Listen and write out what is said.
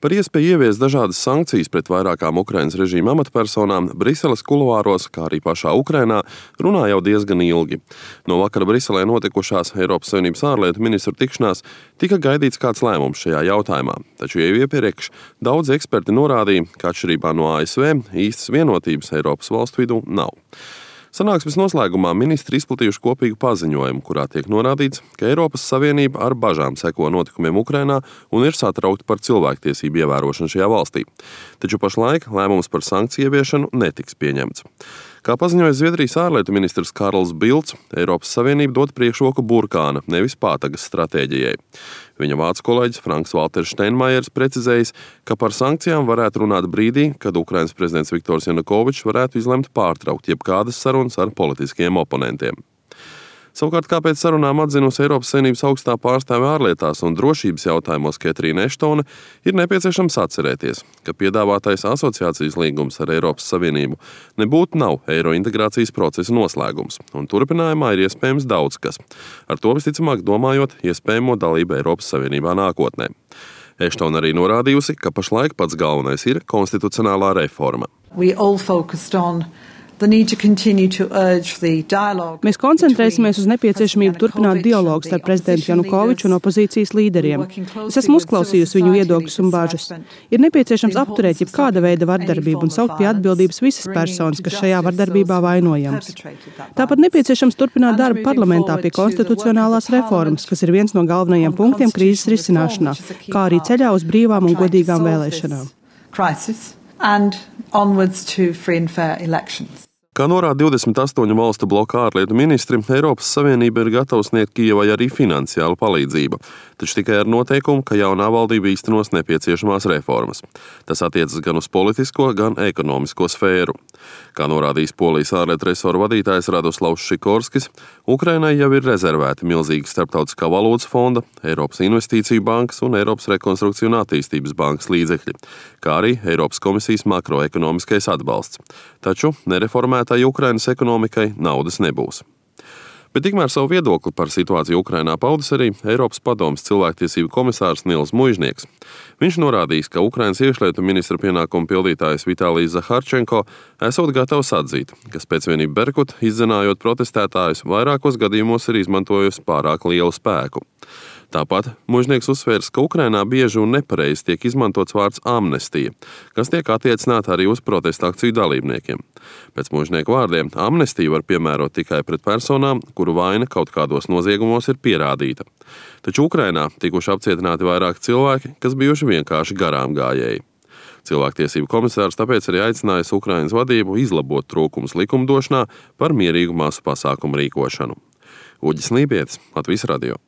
Par iespēju ieviest dažādas sankcijas pret vairākām Ukrainas režīma amatpersonām Briseles kuluāros, kā arī pašā Ukrainā, runā jau diezgan ilgi. No vakara Briselē notikušās Eiropas Savienības ārlietu ministru tikšanās tika gaidīts kāds lēmums šajā jautājumā, taču jau iepriekš daudzi eksperti norādīja, ka atšķirībā no ASV īstas vienotības Eiropas valstu vidū nav. Sanāksmes noslēgumā ministri izplatījuši kopīgu paziņojumu, kurā tiek norādīts, ka Eiropas Savienība ar bažām seko notikumiem Ukrainā un ir satraukta par cilvēktiesību ievērošanu šajā valstī. Taču pašlaik lēmums par sankciju ieviešanu netiks pieņemts. Kā paziņoja Zviedrijas ārlietu ministrs Karls Bilds, Eiropas Savienība dod priekšroku burkāna, nevis pātagas stratēģijai. Viņa vācu kolēģis Franks Valters Steinmeiers precizējis, ka par sankcijām varētu runāt brīdī, kad Ukrainas prezidents Viktors Janukovičs varētu izlemt pārtraukt jebkādas sarunas ar politiskiem oponentiem. Savukārt, kāpēc sarunām atzinusi Eiropas Savienības augstā pārstāve ārlietās un drošības jautājumos Ketrīna Eštone, ir nepieciešams atcerēties, ka piedāvātais asociācijas līgums ar Eiropas Savienību nebūtu nav eiro integrācijas procesa noslēgums, un turpinājumā ir iespējams daudz kas, ar to visticamāk domājot iespējamo dalību Eiropas Savienībā nākotnē. Eštone arī norādījusi, ka pašlaik pats galvenais ir konstitucionālā reforma. Mēs koncentrēsimies uz nepieciešamību turpināt dialogu starp prezidentu Janukoviču un opozīcijas līderiem. Es esmu uzklausījusi viņu viedokļus un bažas. Ir nepieciešams apturēt jebkāda veida vardarbību un saukt pie atbildības visas personas, kas šajā vardarbībā vainojams. Tāpat nepieciešams turpināt darbu parlamentā pie konstitucionālās reformas, kas ir viens no galvenajiem punktiem krīzes risināšanā, kā arī ceļā uz brīvām un godīgām vēlēšanām. Kā norāda 28 valstu bloka ārlietu ministri, Eiropas Savienība ir gatava sniegt Kijevai arī finansiālu palīdzību, taču tikai ar noteikumu, ka jaunā valdība īstenos nepieciešamās reformas. Tas attiecas gan uz politisko, gan ekonomisko sfēru. Kā norādījis Polijas ārlietu resoru vadītājs Radoslavs Šikorskis, Ukrainai jau ir rezervēti milzīgi Starptautiskā valūtas fonda, Eiropas Investīciju bankas un Eiropas Rekonstrukciju un attīstības bankas līdzekļi, kā arī Eiropas komisijas makroekonomiskais atbalsts. Taču nereformētai Ukrainas ekonomikai naudas nebūs. Bet tikmēr savu viedokli par situāciju Ukrainā paudis arī Eiropas padomes cilvēktiesību komisārs Nils Muižnieks. Viņš norādījis, ka Ukrainas iekšlietu ministra pienākumu pildītājs Vitālijs Zaharčenko esot gatavs atzīt, ka spēcvienība Berkut, izdzenājot protestētājus, vairākos gadījumos ir izmantojusi pārāk lielu spēku. Tāpat Muižnieks uzsvērs, ka Ukrainā bieži un nepareizi tiek izmantots vārds amnestija, kas tiek attiecināta arī uz protesta akciju dalībniekiem. Pēc Muižnieka vārdiem amnestiju var piemērot tikai pret personām, kuru vaina kaut kādos noziegumos ir pierādīta. Taču Ukrainā tikuši apcietināti vairāki cilvēki, kas bijuši vienkārši garām gājēji. Cilvēktiesību komisārs tāpēc arī aicinājis Ukrainas vadību izlabot trūkumus likumdošanā par mierīgu masu pasākumu rīkošanu. Uģis Lībietis, Latvijas radio.